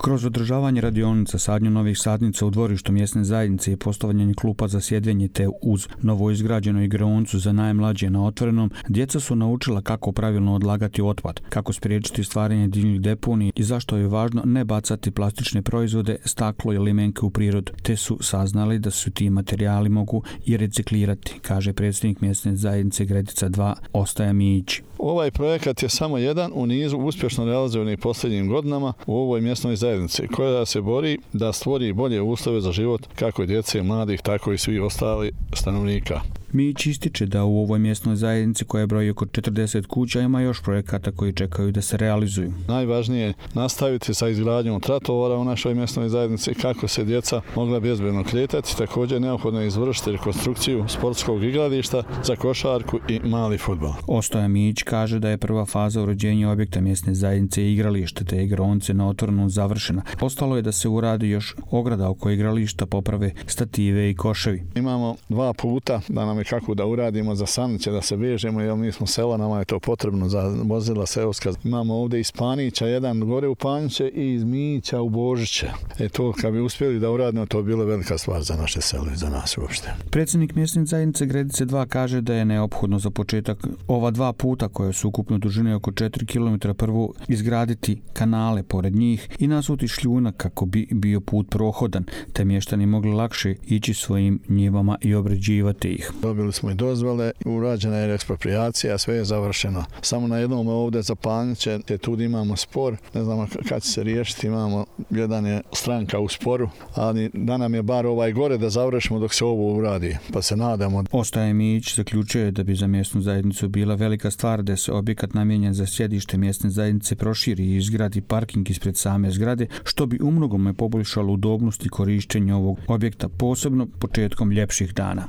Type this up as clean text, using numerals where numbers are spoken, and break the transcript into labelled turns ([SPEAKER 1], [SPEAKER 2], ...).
[SPEAKER 1] Kroz održavanje radionica, sadnju novih sadnica u dvorištu mjesne zajednice i postavljanje klupa za sjedenje te uz novoizgrađenu igraonicu za najmlađe na otvorenom, djeca su naučila kako pravilno odlagati otpad, kako spriječiti stvaranje divljih deponija i zašto je važno ne bacati plastične proizvode, staklo i limenke u prirodu, te su saznali da su ti materijali mogu i reciklirati, kaže predsjednik mjesne zajednice Gredica 2 Ostoja Mijić.
[SPEAKER 2] Ovaj projekat je samo jedan u nizu uspješno realizovanih posljednjim godinama u ovoj mjesnoj zajednici, koja se bori da stvori bolje uslove za život kako djece, mladih, tako i svih ostali stanovnika.
[SPEAKER 1] Mijić ističe da u ovoj mjesnoj zajednici koja broji oko 40 kuća ima još projekata koji čekaju da se realizuju.
[SPEAKER 2] Najvažnije je nastaviti sa izgradnjom tratovara u našoj mjesnoj zajednici kako se djeca mogla bezbedno kretati. Također neophodno je izvršiti rekonstrukciju sportskog igrališta za košarku i mali fudbal.
[SPEAKER 1] Ostoja Mijić kaže da je prva faza uređenja objekta mjesne zajednice i igralište te igraonice na otvorenom završena. Ostalo je da se uradi još ograda oko igrališta, poprave stative i koševi.
[SPEAKER 2] Imamo 2 puta da nam kako da uradimo za saniće, da se vežemo, jer mi smo sela, nama je to potrebno za vozila seoska. Imamo ovdje iz Panića, jedan gore u Paniće i iz Mijića u Božiće. To kad bi uspjeli da uradimo, to bi bila velika stvar za naše selo i za nas uopšte.
[SPEAKER 1] Predsjednik mjesne zajednice Gredice 2 kaže da je neophodno za početak ova 2 puta koje su ukupno dužine oko 4 km prvo izgraditi kanale pored njih i nasuti šljunak kako bi bio put prohodan, te mještani mogli lakše ići svojim njivama i obrađivati ih.
[SPEAKER 2] Dobili smo i dozvole, urađena je eksproprijacija, sve je završeno. Samo na jednom ovdje za Paniće, tu imamo spor, ne znamo kad će se riješiti, imamo jedan je stranka u sporu, ali da nam je bar ovaj gore da završimo dok se ovo uradi, pa se nadamo.
[SPEAKER 1] Ostoja Mijić zaključuje da bi za mjesnu zajednicu bila velika stvar da se objekat namijenjen za sjedište mjesne zajednice proširi i izgradi parking ispred same zgrade, što bi umnogome poboljšalo udobnost i korištenje ovog objekta, posebno početkom ljepših dana.